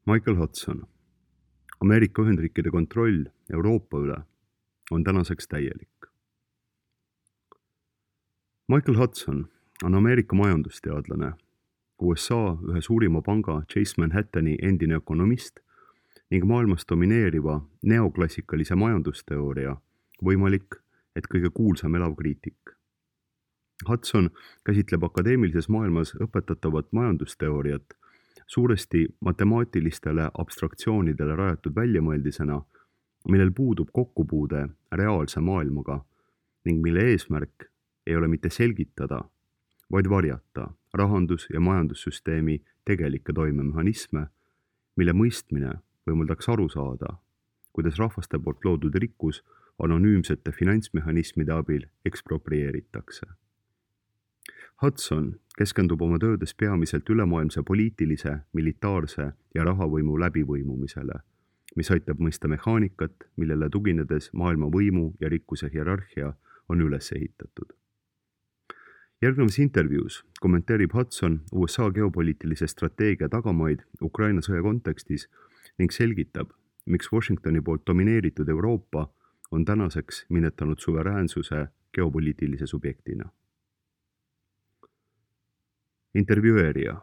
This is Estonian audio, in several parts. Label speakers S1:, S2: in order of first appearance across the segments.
S1: Michael Hudson. Ameerika Ühendriikide kontroll Euroopa üle on tänaseks täielik. Michael Hudson on Ameerika majandusteadlane, USA ühe suurima panga Chase Manhattani endine ökonomist ning maailmas domineeriva neoklassikalise majandusteooria võimalik, et kõige kuulsam elav kriitik. Hudson käsitleb akadeemilises maailmas õpetatavat majandusteooriat suuresti matemaatilistele abstraktsioonidele rajatud väljamõeldisena, millel puudub kokkupuude reaalse maailmaga ning mille eesmärk ei ole mitte selgitada, vaid varjata rahandus- ja majandussüsteemi tegelikke toimemehhanisme, mille mõistmine võimaldaks aru saada, kuidas rahvaste poolt loodud rikkus anonüümsete finantsmehhanismide abil eksproprieeritakse. Hudson keskendub oma töödes peamiselt ülemaailmse poliitilise, militaarse ja rahavõimu läbivõimumisele, mis aitab mõista mehaanikat, millele tuginedes maailma võimu ja rikkuse hierarhia on üles ehitatud. Järgnevas intervjuus kommenteerib Hudson USA geopoliitilise strateegia tagamaid Ukraina sõja kontekstis ning selgitab, miks Washingtoni poolt domineeritud Euroopa on tänaseks minetanud suveräänsuse geopoliitilise subjektina. Intervjueerija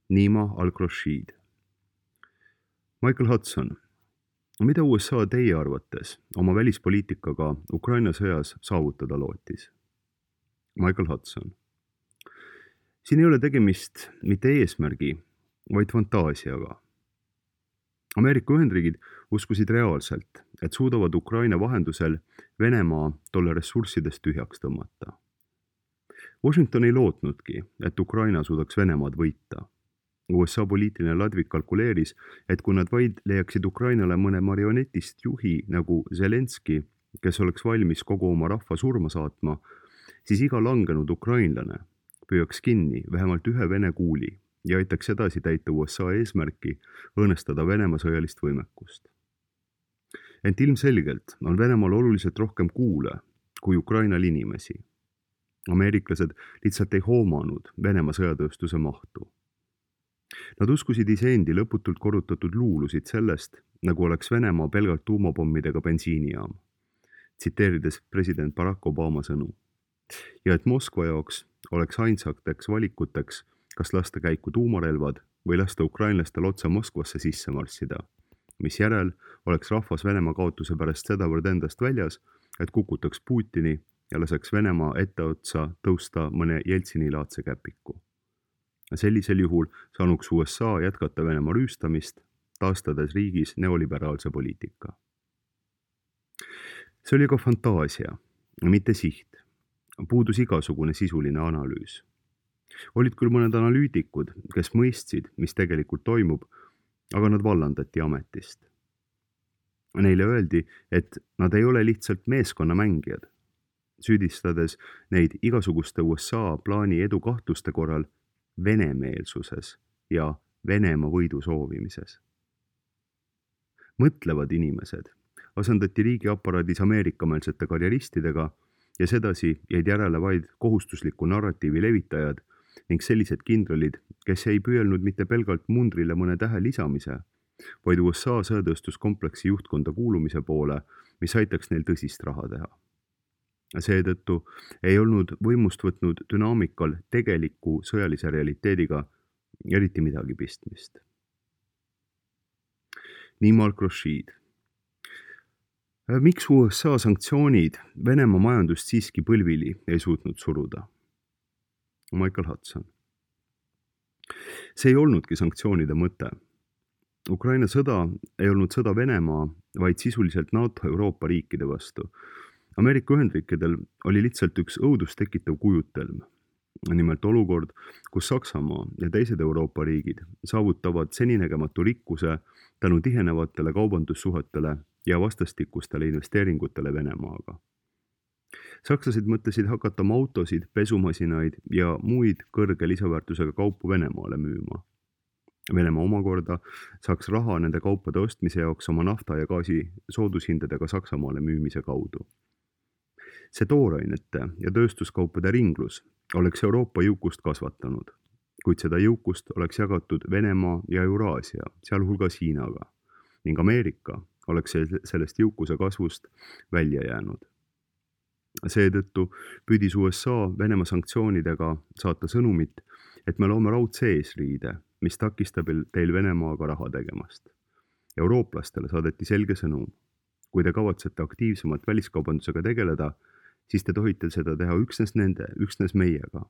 S1: Nima Al-Rashid. Michael Hudson, mida USA teie arvates oma välispoliitikaga Ukraina sõjas saavutada lootis? Michael Hudson. Siin ei ole tegemist mitte eesmärgi, vaid fantaasiaga. Ameerika Ühendriigid uskusid reaalselt, et suudavad Ukraina vahendusel Venemaa tolle ressurssidest tühjaks tõmmata. Washington ei lootnudki, et Ukraina suudaks Venemaad võita. USA poliitiline ladvik kalkuleeris, et kui nad vaid leiaksid Ukrainale mõne marionetist juhi nagu Zelenski, kes oleks valmis kogu oma rahva surma saatma, siis iga langenud ukrainlane püüaks kinni vähemalt ühe Vene kuuli ja aitaks edasi täita USA eesmärki õõnestada Venemaa sõjalist võimekust. Ent ilmselgelt on Venemaal oluliselt rohkem kuule kui Ukrainal inimesi. Ameeriklased lihtsalt ei hoomanud Venemaa sõjatööstuse mahtu. Nad uskusid iseendi lõputult korrutatud luulusid sellest, nagu oleks Venemaa pelgalt tuumapommidega bensiinijaam, tsiteerides president Barack Obama sõnu. Ja et Moskva jaoks oleks ainsateks valikuteks, kas lasta käiku tuumarelvad või lasta ukrainlastel otse Moskvasse sisse marssida, mis järel oleks rahvas Venemaa kaotuse pärast sedavõrd endast väljas, et kukutaks Putini ja laseks Venemaa etteotsa tõusta mõne Jeltsini-laadse käpiku. Sellisel juhul saanuks USA jätkata Venemaa rüüstamist, taastades riigis neoliberaalse poliitika. See oli ka fantaasia, mitte siht. Puudus igasugune sisuline analüüs. Olid küll mõned analüütikud, kes mõistsid, mis tegelikult toimub, aga nad vallandati ametist. Neile öeldi, et nad ei ole lihtsalt meeskonnamängijad, süüdistades neid igasuguste USA plaani edu kahtluste korral venemeelsuses ja Venemaa võidu soovimises. Mõtlevad inimesed asendati riigiaparaadis ameerikameelsete karjeristidega ja sedasi jäid järele vaid kohustusliku narratiivi levitajad ning sellised kindralid, kes ei püüelnud mitte pelgalt mundrile mõne tähe lisamise, vaid USA sõjatööstuskompleksi juhtkonda kuulumise poole, mis aitaks neil tõsist raha teha. Seetõttu ei olnud võimust võtnud dünaamikal tegeliku sõjalise realiteediga eriti midagi pistmist. Nima Al-Rashid. Miks USA sanktsioonid Venemaa majandust siiski põlvili ei suutnud suruda? Michael Hudson. See ei olnudki sanktsioonide mõte. Ukraina sõda ei olnud sõda Venemaa, vaid sisuliselt NATO Euroopa riikide vastu. Ameerika Ühendriikidel oli lihtsalt üks õudust tekitav kujutelm. Nimelt olukord, kus Saksamaa ja teised Euroopa riigid saavutavad seninägematu rikkuse tänu tihenevatele kaubandussuhetele ja vastastikustele investeeringutele Venemaaga. Sakslased mõtlesid hakata oma autosid, pesumasinaid ja muid kõrge lisaväärtusega kaupu Venemaale müüma. Venemaa omakorda saaks raha nende kaupade ostmise jaoks oma nafta ja gaasi soodushindadega Saksamaale müümise kaudu. See toorainete ja tööstuskaupade ringlus oleks Euroopa jõukust kasvatanud kuid seda jõukust oleks jagatud Venemaa ja Euraasia, sealhulgas Hiinaga, ning Ameerika oleks sellest jõukuse kasvust välja jäänud. Seetõttu püüdis USA Venemaa sanktsioonidega saata sõnumit, et me loome raudse eesriide, mis takistab teil Venemaaga raha tegemast. Eurooplastele saadeti selge sõnum. Kui te kavatsete aktiivsemalt väliskaubandusega tegeleda, siis te tohite seda teha üksnes meiega.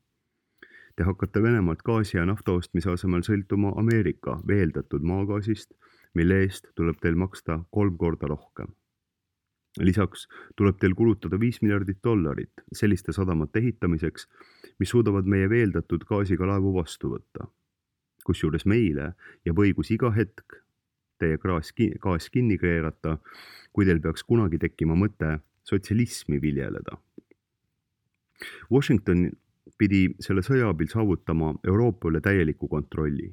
S1: Te hakkate Venemaalt gaasi ja nafta ostmise asemel sõltuma Ameerika veeldatud maagaasist, mille eest tuleb teil maksta 3 korda rohkem. Lisaks tuleb teil kulutada $5 miljardit selliste sadamate ehitamiseks, mis suudavad meie veeldatud gaasiga laevu vastu võtta. Kusjuures meile jääb õigus iga hetk teie gaas kinni keerata, kui teil peaks kunagi tekkima mõte sotsialismi viljeleda. Washington pidi selle sõja abil saavutama Euroopa üle täieliku kontrolli.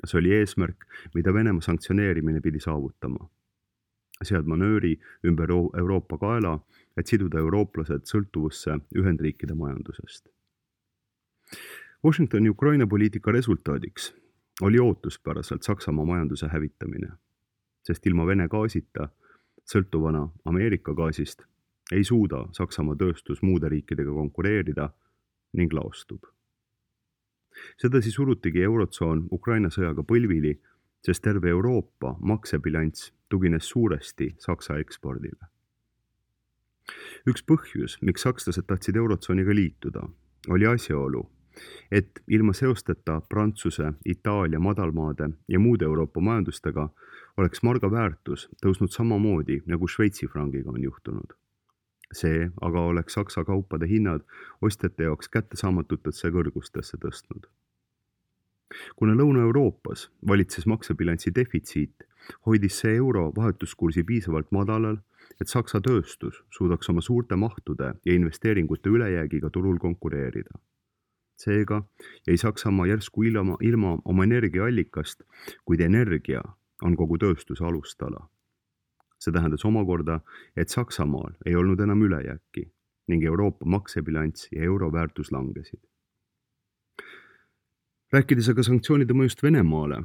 S1: See oli eesmärk, mida Venemaa sanktsioneerimine pidi saavutama. Seadma nööri ümber Euroopa kaela, et siduda eurooplased sõltuvusse Ühendriikide majandusest. Washingtoni Ukraina poliitika resultaadiks oli ootuspäraselt Saksamaa majanduse hävitamine, sest ilma Vene gaasita, sõltuvana Ameerika gaasist, ei suuda Saksamaa tööstus muude riikidega konkureerida ning laostub. Sedasi surutigi eurotsoon Ukraina sõjaga põlvili, sest terve Euroopa maksebilanss tugines suuresti Saksa ekspordile. Üks põhjus, miks sakslased tahtsid eurotsooniga liituda, oli asjaolu, et ilma seosteta Prantsuse, Itaalia, madalmaade ja muude Euroopa majandustega oleks marga väärtus tõusnud samamoodi, nagu Šveitsi frangiga on juhtunud. See aga oleks Saksa kaupade hinnad ostjate jaoks kättesaamatutesse kõrgustesse tõstnud. Kuna Lõuna-Euroopas valitses maksebilansi defitsiit, hoidis see euro vahetuskursi piisavalt madalal, et Saksa tööstus suudaks oma suurte mahtude ja investeeringute ülejäägiga turul konkureerida. Seega jäi Saksamaa järsku ilma oma energiaallikast, kuid energia on kogu tööstuse alustala. See tähendas omakorda, et Saksamaal ei olnud enam ülejääki ning Euroopa maksebilanss ja euro väärtus langesid. Rääkides aga sanktsioonide mõjust Venemaale,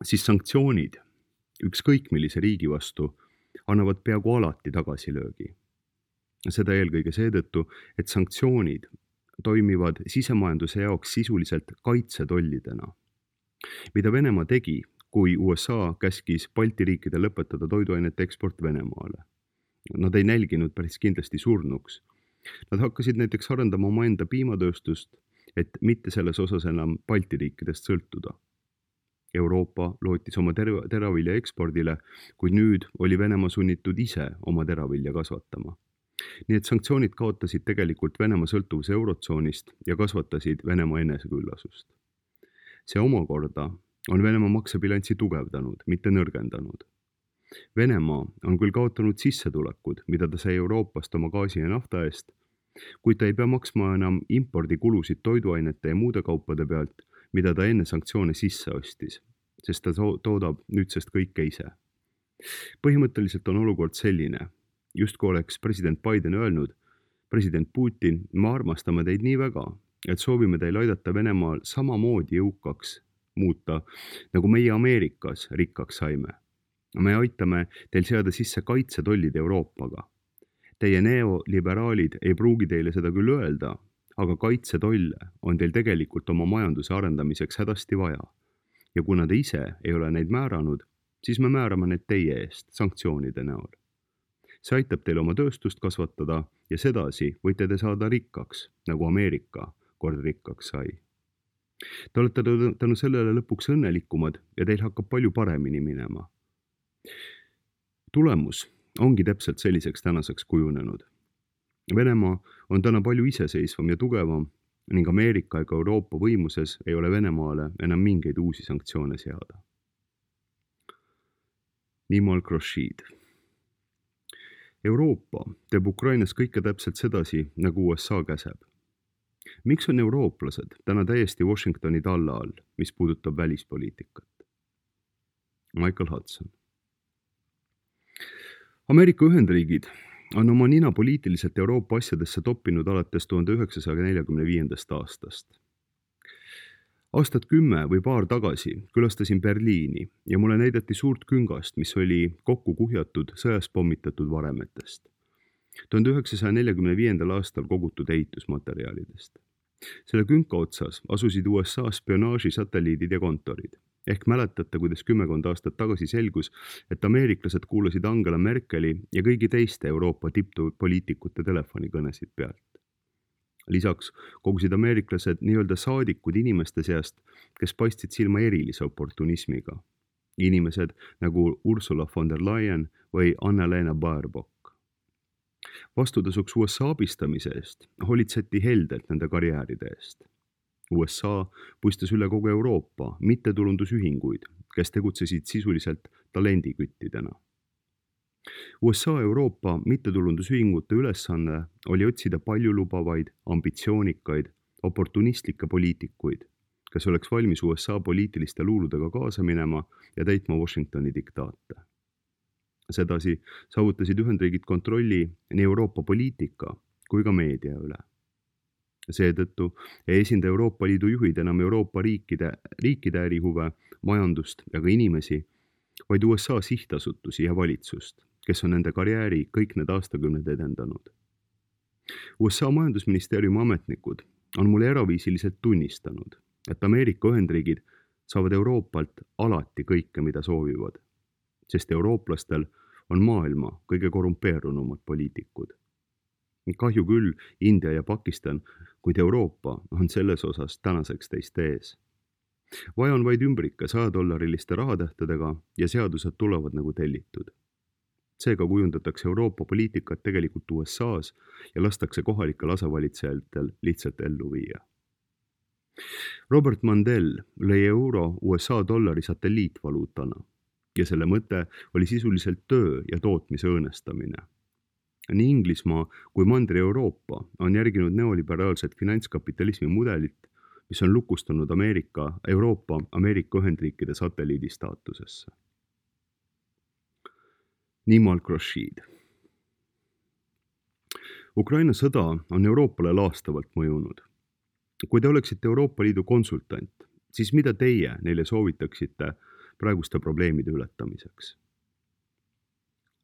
S1: siis sanktsioonid ükskõik millise riigi vastu annavad peaaegu alati tagasilöögi. Seda eelkõige seetõttu, et sanktsioonid toimivad sisemajanduse jaoks sisuliselt kaitsetollidena. Mida Venemaa tegi, kui USA käskis Balti riikidel lõpetada toiduainete eksport Venemaale? Nad ei nälginud päris kindlasti surnuks. Nad hakkasid näiteks arendama omaenda piimatööstust, et mitte selles osas enam Balti riikidest sõltuda. Euroopa lootis oma teravilja ekspordile, kuid nüüd oli Venemaa sunnitud ise oma teravilja kasvatama. Nii et sanktsioonid kaotasid tegelikult Venemaa sõltuvuse eurotsoonist ja kasvatasid Venemaa eneseküllasust. See omakorda on Venemaa maksebilanssi tugevdanud, mitte nõrgendanud. Venemaa on küll kaotanud sissetulekud, mida ta sai Euroopast oma gaasi ja nafta eest, kuid ta ei pea maksma enam impordikulusid toiduainete ja muude kaupade pealt, mida ta enne sanktsioone sisse ostis, sest ta toodab nüüdsest kõike ise. Põhimõtteliselt on olukord selline, justkui oleks president Biden öelnud, president Putin, me armastame teid nii väga, et soovime teil aidata Venemaal samamoodi jõukaks muuta, nagu meie Ameerikas rikkaks saime. Me aitame teil seada sisse kaitsetollid Euroopaga. Teie neoliberaalid ei pruugi teile seda küll öelda, aga kaitsetolle on teil tegelikult oma majanduse arendamiseks hädasti vaja. Ja kuna te ise ei ole neid määranud, siis me määrame need teie eest sanktsioonide näol. See aitab teil oma tööstust kasvatada ja sedasi võite te saada rikkaks, nagu Ameerika kord rikkaks sai. Te olete tänu sellele lõpuks õnnelikumad ja teil hakkab palju paremini minema. Tulemus ongi täpselt selliseks tänaseks kujunenud. Venemaa on täna palju iseseisvam ja tugevam ning Ameerika ega Euroopa võimuses ei ole Venemaale enam mingeid uusi sanktsioone seada. Nimo Al-Rashid. Euroopa teeb Ukrainas kõike täpselt sedasi, nagu USA käseb. Miks on eurooplased täna täiesti Washingtoni talla all, mis puudutab välispoliitikat? Michael Hudson. Ameerika Ühendriigid on oma nina poliitiliselt Euroopa asjadesse toppinud alates 1945. aastast. Aastat 10 või paar tagasi külastasin Berliini ja mulle näidati suurt küngast, mis oli kokku kuhjatud sõjas pommitatud varemetest. 1945. aastal kogutud ehitusmaterjalidest. Selle künka otsas asusid USA spionaaži satelliidid ja kontorid. Ehk mäletate, kuidas 10 aastat tagasi selgus, et ameeriklased kuulasid Angela Merkeli ja kõigi teiste Euroopa tipppoliitikute telefonikõnesid pealt. Lisaks kogusid ameeriklased nii-öelda saadikud inimeste seast, kes paistsid silma erilise oportunismiga. Inimesed nagu Ursula von der Leyen või Annalena Baerbock. Vastutasuks USA abistamise eest hoolitseti heldelt nende karjääride eest. USA puistas üle kogu Euroopa mittetulundusühinguid, kes tegutsesid sisuliselt talendiküttidena. USA Euroopa mittetulundusühingute ülesanne oli otsida paljulubavaid, ambitsioonikaid, oportunistlikke poliitikuid, kes oleks valmis USA poliitiliste luuludega kaasa minema ja täitma Washingtoni diktaate. Sedasi saavutasid Ühendriigid kontrolli nii Euroopa poliitika kui ka meedia üle. Seetõttu ei esinda Euroopa Liidu juhid enam Euroopa riikide ärihuve, majandust ja ka inimesi, vaid USA sihtasutusi ja valitsust, kes on nende karjääri kõik need aastakümned edendanud. USA majandusministeeriumi ametnikud on mulle eraviisiliselt tunnistanud, et Ameerika Ühendriigid saavad Euroopalt alati kõike, mida soovivad, sest eurooplastel on maailma kõige korrumpeerunumad poliitikud. Kahju küll India ja Pakistan, kuid Euroopa on selles osas tänaseks teist ees. Vaja on vaid ümbrike $100 rahatähtedega ja seadused tulevad nagu tellitud. Seega kujundatakse Euroopa poliitikat tegelikult USA's ja lastakse kohalikel asevalitsejatel lihtsalt ellu viia. Robert Mandel lõi euro USA dollari satelliitvaluutana ja selle mõte oli sisuliselt töö ja tootmise õõnestamine. Nii Inglismaa kui Mandri-Euroopa on järginud neoliberaalset finantskapitalismi mudelit, mis on lukustanud Euroopa Ameerika Ühendriikide satelliidi staatusesse. Nimal Rashid. Ukraina sõda on Euroopale laastavalt mõjunud. Kui te oleksite Euroopa Liidu konsultant, siis mida teie neile soovitaksite praeguste probleemide ületamiseks?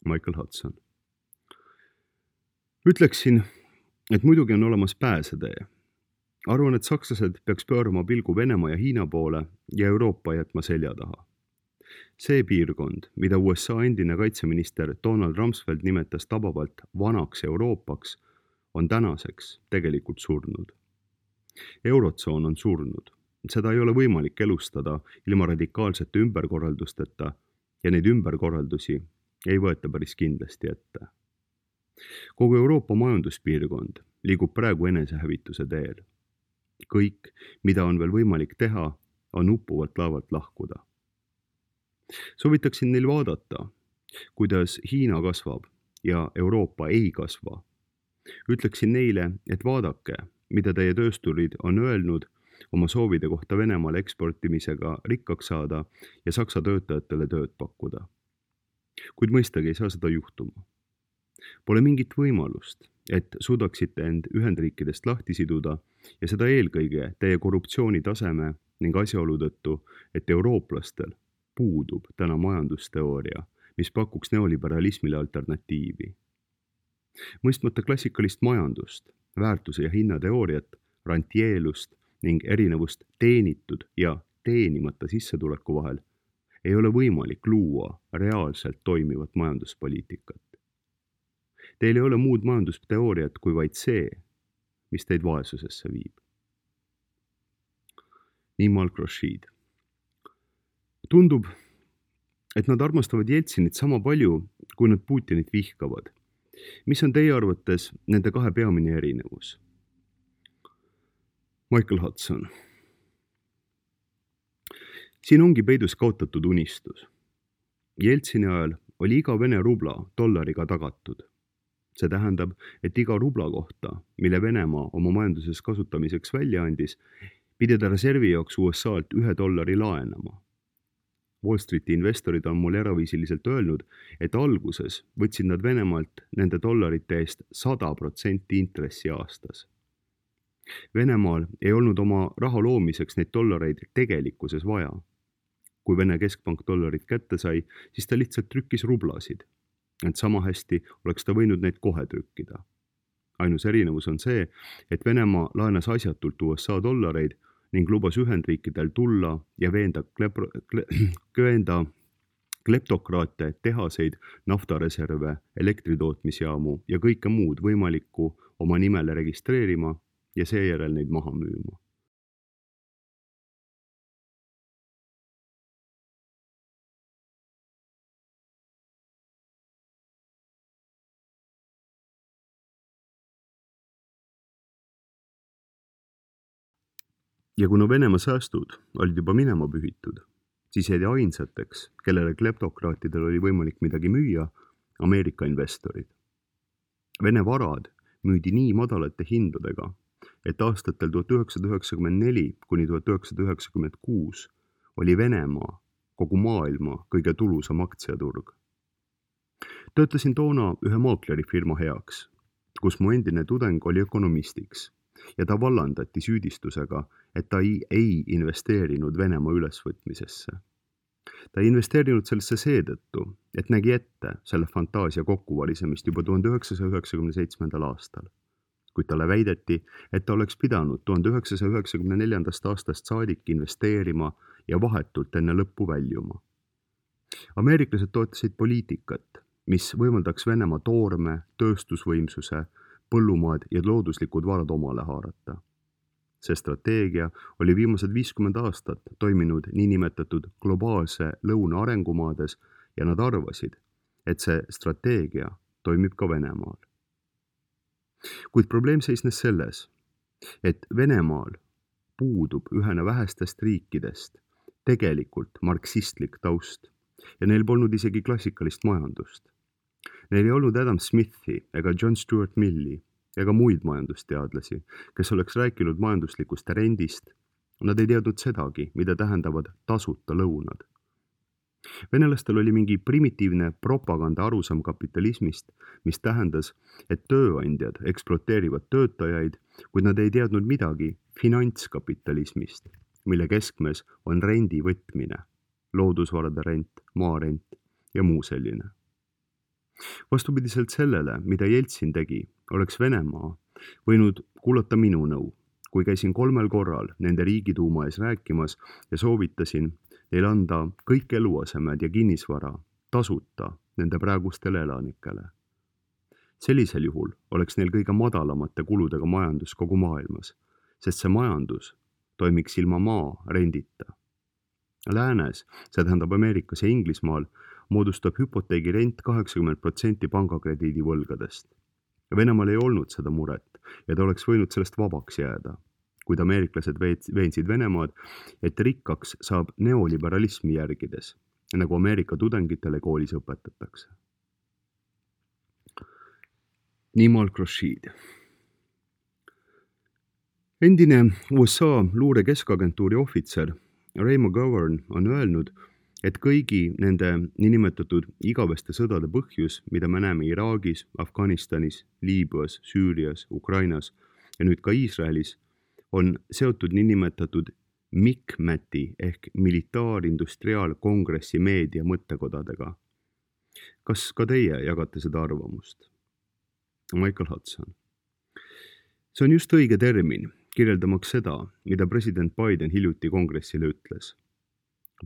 S1: Michael Hudson. Ütleksin, et muidugi on olemas pääsetee. Arvan, et sakslased peaks pöörama pilgu Venemaa ja Hiina poole ja Euroopa jätma selja taha. See piirkond, mida USA endine kaitseminister Donald Rumsfeld nimetas tabavalt vanaks Euroopaks, on tänaseks tegelikult surnud. Eurotsoon on surnud. Seda ei ole võimalik elustada ilma radikaalsete ümberkorraldusteta ja neid ümberkorraldusi ei võeta päris kindlasti ette. Kogu Euroopa majanduspiirkond liigub praegu enesehävituse teel. Kõik, mida on veel võimalik teha, on uppuvalt laevalt lahkuda. Soovitaksin neil vaadata, kuidas Hiina kasvab ja Euroopa ei kasva. Ütleksin neile, et vaadake, mida teie töösturid on öelnud oma soovide kohta Venemaale eksportimisega rikkaks saada ja Saksa töötajatele tööd pakkuda. Kuid mõistagi ei saa seda juhtuma. Pole mingit võimalust, et suudaksite end Ühendriikidest lahti siduda ja seda eelkõige teie korruptsioonitaseme ning asjaolu tõttu, et eurooplastel puudub täna majandusteooria, mis pakuks neoliberalismile alternatiivi. Mõistmata klassikalist majandust, väärtuse ja hinnateooriat, rantieelust ning erinevust teenitud ja teenimata sissetuleku vahel, ei ole võimalik luua reaalselt toimivat majanduspoliitikat. Teil ei ole muud majandusteooriat kui vaid see, mis teid vaesusesse viib. Nimal Rashid. Tundub, et nad armastavad Jeltsinit sama palju, kui nad Putinit vihkavad. Mis on teie arvates nende kahe peamine erinevus? Michael Hudson. Siin ongi peidus kaotatud unistus. Jeltsini ajal oli iga Vene rubla dollariga tagatud. See tähendab, et iga rubla kohta, mille Venemaa oma majanduses kasutamiseks välja andis, pidi ta reservi jaoks USA-lt $1 laenama. Wall Streeti investorid on mulle eraviisiliselt öelnud, et alguses võtsid nad Venemaalt nende dollarite eest 100% intressi aastas. Venemaal ei olnud oma raha loomiseks neid dollareid tegelikkuses vaja. Kui Vene keskpank dollarid kätte sai, siis ta lihtsalt trükkis rublasid. Ent sama hästi oleks ta võinud neid kohe trükkida. Ainus erinevus on see, et Venemaa laenas asjatult USA dollareid ning lubas Ühendriikidel tulla ja veenda kleptokraate, tehaseid, naftareserve, elektritootmisjaamu ja kõike muud võimalikku oma nimele registreerima ja seejärel neid maha müüma. Ja kuna Venemaa säästud olid juba minema pühitud, siis jäid ainsateks, kellele kleptokraatidel oli võimalik midagi müüa, Ameerika investorid. Vene varad müüdi nii madalate hindadega, et aastatel 1994 kuni 1996 oli Venemaa kogu maailma kõige tulusam aktsiaturg. Töötasin toona ühe maaklerifirma heaks, kus mu endine tudeng oli ökonomistiks ja ta vallandati süüdistusega, et ta ei investeerinud Venemaa ülesvõtmisesse. Ta ei investeerinud sellesse seetõttu, et nägi ette selle fantaasia kokkuvalisemist juba 1997. aastal. Kuid talle väideti, et ta oleks pidanud 1994. aastast saadik investeerima ja vahetult enne lõppu väljuma. Ameeriklased toetasid poliitikat, mis võimaldaks Venemaa toorme, tööstusvõimsuse, põllumaad ja looduslikud varad omale haarata. See strateegia oli viimased 50 aastat toiminud niinimetatud globaalse lõuna arengumaades ja nad arvasid, et see strateegia toimib ka Venemaal. Kuid probleem seisnes selles, et Venemaal puudub ühena vähestest riikidest tegelikult marksistlik taust ja neil polnud isegi klassikalist majandust. Neil ei olnud Adam Smithi ega John Stuart Milli ega muid majandusteadlasi, kes oleks rääkinud majanduslikust rendist. Nad ei teadnud sedagi, mida tähendavad tasuta lõunad. Venelastel oli mingi primitiivne propaganda arusaam kapitalismist, mis tähendas, et tööandjad ekspluateerivad töötajaid, kuid nad ei teadnud midagi finantskapitalismist, mille keskmes on rendi võtmine, loodusvarade rent, maarent ja muu selline. Vastupidiselt sellele, mida Jeltsin tegi, oleks Venemaa võinud kuulata minu nõu, kui käisin 3 korral nende riigituuma ees rääkimas ja soovitasin neil anda kõik eluasemed ja kinnisvara tasuta nende praegustele elanikele. Sellisel juhul oleks neil kõige madalamate kuludega majandus kogu maailmas, sest see majandus toimiks ilma maa rendita. Läänes, see tähendab Ameerikas ja Inglismaal, moodustab hüpoteegirent 80% pangakrediidi võlgadest. Venemaal ei olnud seda muret ja ta oleks võinud sellest vabaks jääda, kuid ameeriklased veensid Venemaad, et rikkaks saab neoliberalismi järgides, nagu Ameerika tudengitele koolis õpetatakse. Nimal Khurshid. Endine USA luure keskagentuuri ohvitser Ray McGovern on öelnud, et kõigi nende niinimetatud igaveste sõdade põhjus, mida me näeme Iraagis, Afganistanis, Liibüas, Süürias, Ukrainas ja nüüd ka Iisraelis, on seotud niinimetatud MICMAT-i ehk militaarindustriaalkongressi meedia mõttekodadega. Kas ka teie jagate seda arvamust? Michael Hudson. See on just õige termin, kirjeldamaks seda, mida president Biden hiljuti kongressile ütles.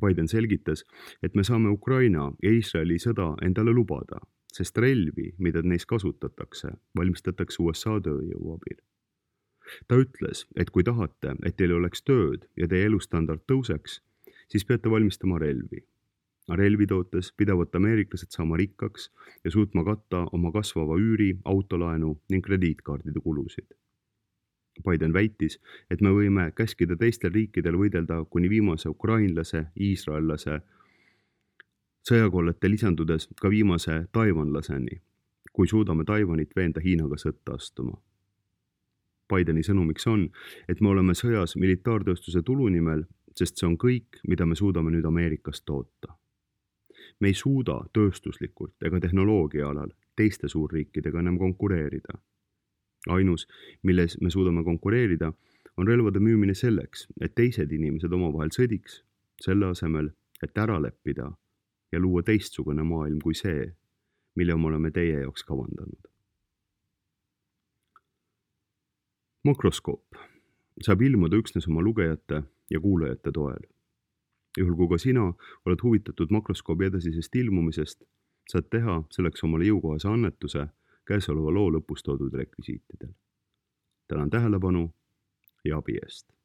S1: Biden selgitas, et me saame Ukraina ja Iisraeli sõda endale lubada, sest relvi, mida neis kasutatakse, valmistatakse USA tööjõu abil. Ta ütles, et kui tahate, et teil oleks tööd ja teie elustandard tõuseks, siis peate valmistama relvi. Relvi tootes pidavad ameeriklased saama rikkaks ja suutma katta oma kasvava üüri, autolaenu ning krediitkaardide kulusid. Biden väitis, et me võime käskida teistel riikidel võidelda kuni viimase ukrainlase, iisraellase sõjakollete lisandudes ka viimase taiwanlaseni, kui suudame Taiwanit veenda Hiinaga sõtta astuma. Bideni sõnumiks on, et me oleme sõjas militaartööstuse tulu nimel, sest see on kõik, mida me suudame nüüd Ameerikast toota. Me ei suuda tööstuslikult ega tehnoloogia alal teiste suurriikidega enam konkureerida. ainus, milles me suudame konkureerida, on relvade müümine selleks, et teised inimesed omavahel sõdiks, selle asemel, et ära leppida ja luua teistsugune maailm kui see, mille me oleme teie jaoks kavandanud. Makroskoop saab ilmuda üksnes oma lugejate ja kuulajate toel. Juhul kui ka sina oled huvitatud makroskoobi edasisest ilmumisest, saad teha selleks omale jõukohase annetuse käesoleva loo lõpus toodud rekvisiitidel. Tänan tähelepanu ja abi eest.